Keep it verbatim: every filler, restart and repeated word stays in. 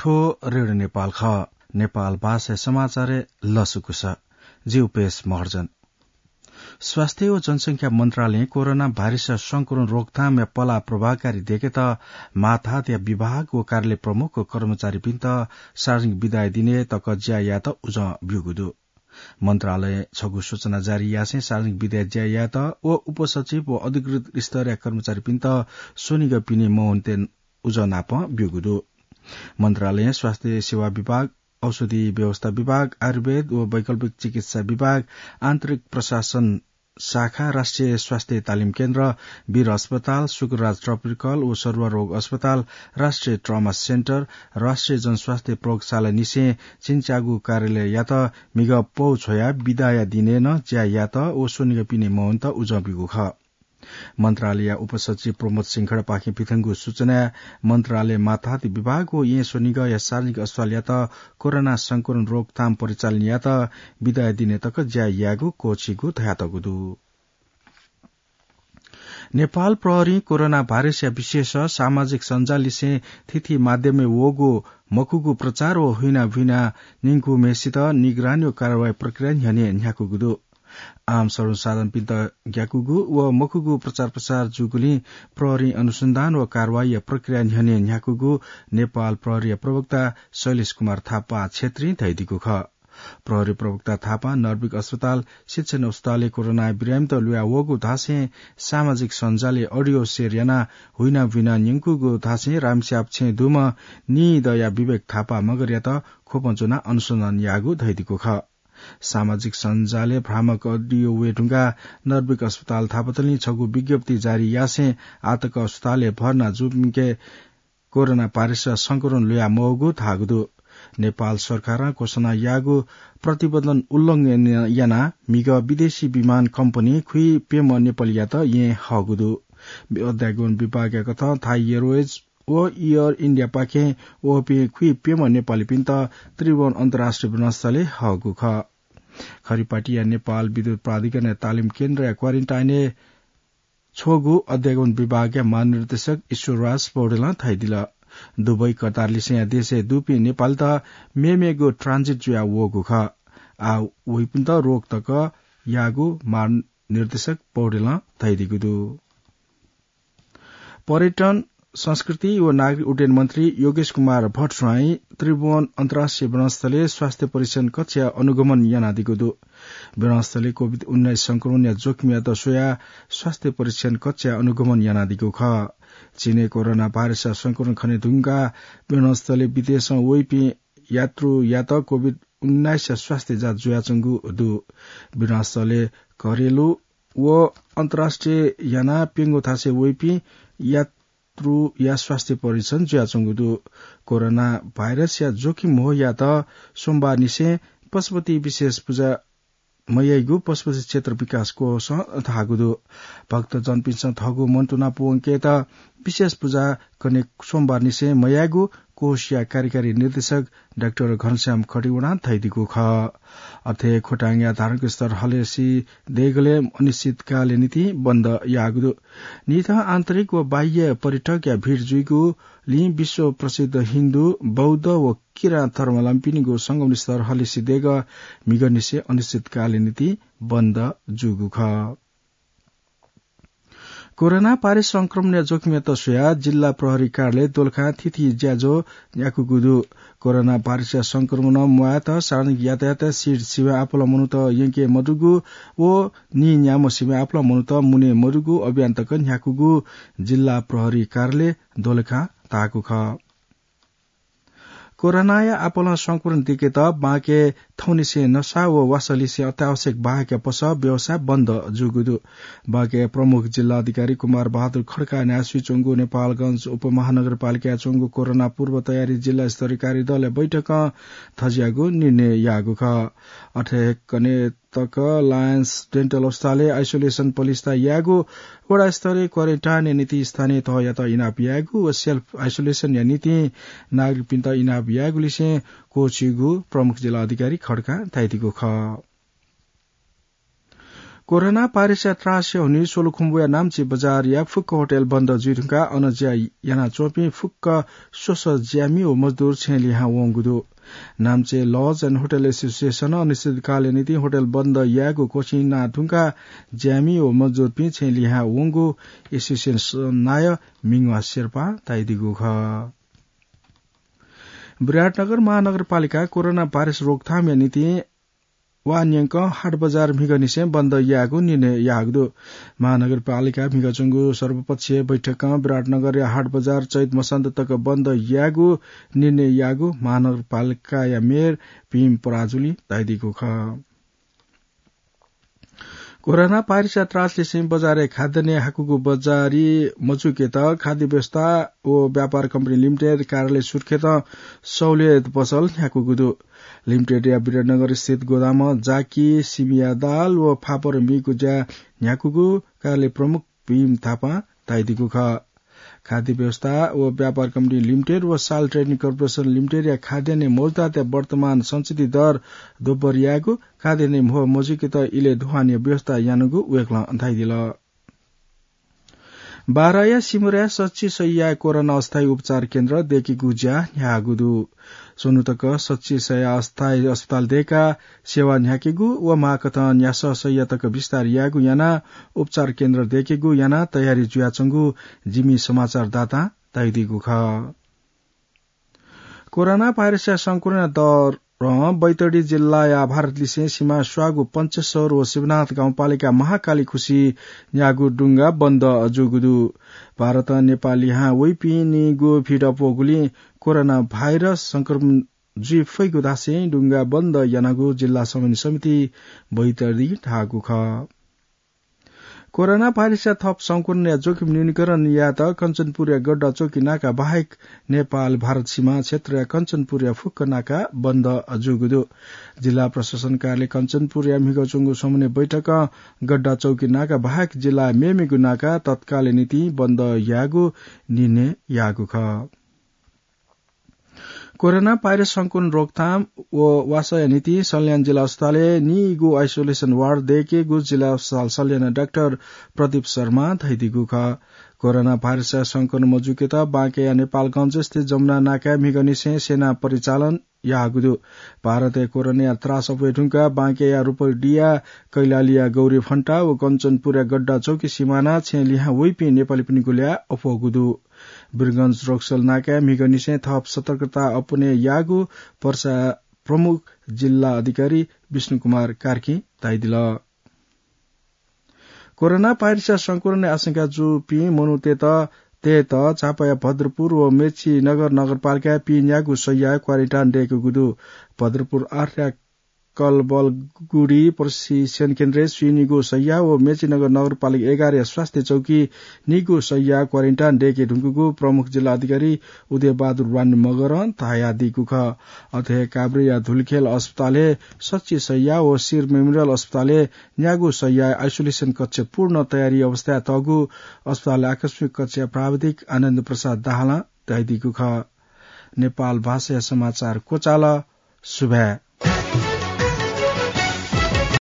थ्व रेडियो नेपाल खः। नेपाल भाषाया समाचारय् लसकुस। जि उपेश महर्जन। स्वास्थ्य व जनसंख्या मन्त्रालयं कोरोना भाइरसया संक्रमण रोकथामया पलाः प्रभावकारी दयेकेत माथातया विभाग व कार्यालय प्रमुख व कर्मचारीपिन्त सार्वजनिक बिदाया दिनय् तक ज्या यायेत उजं ब्यूगु दु। मन्त्रालयं छगू सूचना जारी यासें सार्वजनिक बिदाया ज्या यायेत व उपसचिव व अधिकृत स्तरया कर्मचारीपिन्त स्वनिगः पिने मवनेत उजं नाप ब्यूगु दु। मन्त्रालयं स्वास्थ्य सेवा विभाग, औषधि व्यवस्था विभाग, आयुर्वेद व वैकल्पिक चिकित्सा विभाग, आन्तरिक प्रशासन शाखा, राष्ट्रिय स्वास्थ्य तालिम केन्द्र, वीर अस्पताल, शुक्रराज ट्रपिकल व सरुवा रोग अस्पताल, राष्ट्रिय ट्रमा सेन्टर, राष्ट्रिय जनस्वास्थ्य प्रयोगशाला निसें चिन्च्याःगु कार्यालययात म्हिगः पौ छ्वयाः बिदाया दिनय् नं ज्या यायेत व स्वनिगः पिने मवनेत उजं ब्यूगु खः। मन्त्रालयया उपसचिव प्रमोद सिंह खड्कापाखें पिथंगु सूचनाय् मन्त्रालय माथात विभाग व येँ स्वनिगःया सार्वजनिक अस्पतालयात कोरोना संक्रमण रोकथाम परिचालन यायेत बिदाया दिनय् तक ज्या यायेगु क्वःछीगु धयातःगु दु। नेपाल प्रहरीं कोरोना भाइरसया विशेष सामाजिक सञ्जाललिसें थीथी माध्यमय् वःगु मखुगु प्रचार व हुइनाबुइना न्यंकूम्हेसित निगरानी व कारवाही प्रक्रिया न्ह्यःने न्ह्याकूगु दु। आम सर्वसाधारणपिन्त ग्याकूगु व मखुगु प्रचार प्रसार जूगुलिं प्रहरीं अनुसन्धान व कारवाहीया प्रक्रिया न्ह्यःने न्ह्याकूगु नेपाल प्रहरीया प्रवक्ता शैलेश कुमार थापा छेत्रीं धयादीगु खः। प्रहरी प्रवक्ता थापां नर्बिक अस्पताल, शिक्षण अस्पतालय् कोरोना बिरामीत ल्वया वःगु धासें सामाजिक सञ्जालय् audio share यानाः हुइनाबुइना न्यंकूगु धासें रामस्याप छेँय् दुम्ह नीदँया विवेक थापा मगरयात ख्वपं ज्वनाः अनुसन्धान याःगु धयादीगु खः। सामाजिक सञ्जालय् भ्रामक audio वये धुंकाः नर्बिक अस्पताल थापतलिं छगू विज्ञप्ति जारी यासें आःतक अस्पतालय् भर्ना जूपिन्के कोरोना भाइरस संक्रमण ल्वया मवःगु धाःगु दु। नेपाल सरकारं घोषणा याःगु प्रतिबन्धन उल्लंघन यानाः म्हिगः विदेशी विमान कम्पनी खुइप्यम्ह नेपालीयात येँ हःगु दु। अध्यागमन विभागया कथं थाई एयरवेज व एयर इन्डियापाखें वःपिं खुइप्यम्ह नेपालीपिन्त त्रिभुवन अन्तर्राष्ट्रिय विमानस्थलय् हःगु खः। खरिपाटिया नेपाल विद्युत प्राधिकरणया तालिम केन्द्रया क्वारेन्टाइनय् छ्वःगु अध्यागमन विभागया महानिर्देशक ईश्वरराज पौडेलं धयादिल। दुबई कतारलिसेंया देशय् दुपिं नेपालीत मेमेगु transit जुया वःगु खः। आः वइपिन्त रोक तक याःगु महानिर्देशक पौडेलं धयादीगु दु। पर्यटन, संस्कृति व नागरिक उड्डयन मन्त्री योगेश कुमार भट्टराईं त्रिभुवन अन्तर्राष्ट्रिय विमानस्थलय् स्वास्थ्य परीक्षण कक्षया अनुगमन यानादीगु दु। विमानस्थलय् कोभिड उन्नाइस संक्रमणया जोखिमयात स्वयाः स्वास्थ्य परीक्षण कक्षया अनुगमन यानादीगु खः। चीनय् कोरोना भाइरसया संक्रमण खने धुंकाः विमानस्थलय् विदेशं वइपिं यात्रुयात कोभिड उन्नाइसया स्वास्थ्य जाँच जुयाच्वंगु दु। विमानस्थलय् घरेलु व अन्तर्राष्ट्रिय यानाः प्यंगू थासय् वइपिं यात्रुया स्वास्थ्य परीक्षण जुयाच्वंगु दु। कोरोना भाइरसया जोखिम म्हो यायेत सोमबारनिसें पशुपति विशेष पूजा मयाइगु पशुपति क्षेत्र विकास कोषं धाःगु दु। भक्तजनपिन्सं थःगु मन तुना पूवंकेत विशेष पूजा कने सोमबारनिसें मयायेगु कोषया कार्यकारी निर्देशक डाक्टर घनश्याम खतिवडां धयादीगु खः। अथे खोटाङया धार्मिक स्थल हलेसी देगलय् अनिश्चितकालया निंतिं बन्द याःगु दु। निथं आन्तरिक व बाह्य पर्यटकया भिड जुइगुलिं विश्व प्रसिद्ध हिन्दू, बौद्ध व किराँत धर्मावलम्बीपिनिगु संगम स्थल हलेसी देगः म्हिगःनिसें अनिश्चितकालया निंतिं बन्द जूगु खः। कोरोना भाइरस संक्रमणया जोखिमयात स्वयाः जिल्ला प्रहरी कार्यालय दोलखां थीथी ज्याझ्वः न्ह्याकूगु दु। कोरोना भाइरसया संक्रमणं म्वायेत सार्वजनिक यातायात सिट सिबें आपालं मनूत यंके मदुगु व नीन्याम्ह सिबें आपालं मनूत मुने मदुगु अभियान तक न्ह्याकूगु जिल्ला प्रहरी कार्यालय दोलखां धाःगु खः। कोरोनाया आपालं संक्रमण दिकेत बांके थौंनिसें नसा व वासःलिसें अत्यावश्यक बाहेकया पसः व्यवसाय बन्द जूगु दु। बांके प्रमुख जिल्ला अधिकारी कुमार बहादुर खड्काया न्ह्यासुइ च्वंगु नेपालगञ्ज उपमहानगरपालिकाय् च्वंगु कोरोना पूर्व तयारी जिल्ला स्तरीय कार्यदलया बैठकं थज्याःगु निर्णय याःगु खः। अथे कने तक लायन्स डेन्टल अस्पतालय् आइसोलेसन पलिस्था यायेगु, वडा स्तरीय क्वारेन्टाइनया निंतिं स्थानीय तहयात इनाप यायेगु व सेल्फ आइसोलेसनया निंतिं नागरिकपिन्त इनाप यायेगुलिसें क्वःछीगु प्रमुख जिल्ला अधिकारी खड्कां धयादीगु खः। कोरोना भाइरसया त्रासया हुनिं सोलुखुम्बुया नाम्‍ची बजारया फुक्क होटल बन्द जुइ धुंकाः अन ज्‍या यानाच्‍वंपिं फुक्क स्वसः ज्‍यामि व मजदुर छेँ लिहां वंगु दु। Namchi Lodge and Hotel Association अनिश्चितकालया निंतिं होटल बन्द यायेगु क्‍वछिना धुंकाः ज्‍यामि व मजदुरपिं छेँ लिहां वंगु एसोसिएसन नायः मिंगवा शेर्पां धयादीगु खः। विराटनगर महानगरपालिकां कोरोना भाइरस रोकथामया निंतिं वा न्‍यंकं हाट बजार म्‍हिगःनिसें बन्द यायेगु निर्णय याःगु दु। महानगरपालिका म्‍हिगःच्‍वंगु सर्वपक्षीय बैठकं विराटनगरया हाट बजार चैत मसान्त तक बन्द यायेगु निर्णय याःगु महानगरपालिकाया मेयर भीम पराजुलीं धयादीगु खः। कोरोना भाइरसया त्रासलिसें बजारय् खाद्यान्न हाकूगु बजारी मजूकेत खाद्य व्यवस्था व व्यापार कम्पनी लिमिटेड कार्यालय सुर्खेतं सहुलियत पसल न्‍ह्याकूगु दु। लिमिटेडया विराटनगर स्थित गोदामं जाकी, सिमिया दाल व फापर मीगु ज्‍या न्‍ह्याकूगु कार्यालय प्रमुख भीम थापां धयादीगु खः। खाद्य व्यवस्था व व्यापार कम्पनी लिमिटेड व साल ट्रेडिङ कर्पोरेसन लिमिटेडया खाद्यान्न मौजदारतय् वर्तमान सञ्चिति दर दोब्बर यायेगु, खाद्यान्न म्‍ह मजूकेत इलय् दुहानया व्यवस्था यानागु वय्‌कलं धयादिल। बाराया सिमुराय् सच्‍छि सय्‌या कोरोना अस्थायी उपचार केन्द्र दय्‌केगु ज्‍या न्‍ह्याःगु दु। स्वन्‍हु तक सच्‍छि सय्‌या अस्थायी अस्पताल दय्‌काः सेवा न्‍ह्याकेगु व माःकथं न्‍यासः सय्‌या तक विस्तार यायेगु यानाः उपचार केन्द्र दय्‌केगु यानाः तयारी जुयाच्‍वंगु जिमि समाचारदातां धयादीगु खः। कोरोना भाइरसया संक्रमणया दरं बैतडी जिल्लाया भारतलिसें सिमा स्वाःगु पञ्चेश्वर व शिवनाथ गाउँपालिका महाकाली खुसि न्‍याःगु डुंगा बन्द जूगु दु। भारतं नेपाल लिहां वइपिं निगू भिड अप्‍वःगुलिं कोरोना भाइरस संक्रमण जुइ फइगु धासें डुंगा बन्द यानागु जिल्ला समन्वय समिति बैतडीं धाःगु खः। कोरोना भाइरसया थप संक्रमणया जोखिम न्यूनीकरण यायेत कञ्चनपुरया गड्डा चौकी नाका बाहेक नेपाल भारत सीमा क्षेत्रया कञ्चनपुरया फुक्क नाका बन्द जूगु दु। जिल्ला प्रशासन कार्यालय कञ्चनपुरया म्हिगः च्वंगु समन्वय बैठकं गड्डा चौकी नाका बाहेक जिल्लाया मेमेगु नाका तत्कालया निंतिं बन्द यायेगु निर्णय याःगु खः। कोरोना भाइरस संक्रमण रोकथाम व वासःया निंतिं सल्यान जिल्ला अस्पतालय् निइगु आइसोलेसन वार्ड दय्‌केगु जिल्ला अस्पताल सल्यान डाक्टर प्रदीप शर्मां धयादीगु खः। कोरोना भाइरसया संक्रमण मजूकेत बांकेया नेपालगञ्ज स्थित जमुना नाकाय् म्हिगःनिसें सेना परिचालन याःगु दु। भारतय् कोरोनाया त्रास अप्वये धुंकाः बांकेया रूपडीया कैलालीया गौरी फन्टा व कञ्चनपुरया गड्डा चौकी सिमानां छेँ लिहां वइपिं नेपालीपिनिगु ल्याः अप्वःगु दु। वीरगञ्ज रक्सल नाकाय् म्हिगःनिसें थप सतर्कता अपनय् याःगु पर्सा प्रमुख जिल्ला अधिकारी विष्णु कुमार कार्कीं धयादिल। कोरोना भाइरसया संक्रमणया आशंका जूपिं मनूतय्‌त, तय्‌त झापाया भद्रपुर व मेचीनगर नगरपालिकाय् पिन्यागू सय्‌या क्वारेन्टाइन दय्‌केगु दु। भद्रपुर आठया कलबलगुडी प्रशिक्षण केन्द्रय् स्वीनिगू सय्‌या व मेचीनगर नगरपालिका एघारया स्वास्थ्य चौकी निगू सय्‌या क्वारेन्टाइन दय्‌के धुंकूगु प्रमुख जिल्ला अधिकारी उदय बहादुर वाणी मगरं धयादीगु खः। अथे हे काभ्रेया धुलिखेल अस्पतालय् सच्छि सय्‌या व शिर मेमोरियल अस्पतालय् न्यागू सय्‌या आइसोलेसन कक्ष पूर्ण तयारी अवस्थाय् तःगु अस्पतालया आकस्मिक कक्षया प्राविधिक आनन्द प्रसाद दाहालं धयादीगु खः। नेपाल भाषाया समाचार क्वचाल। सुभाय्।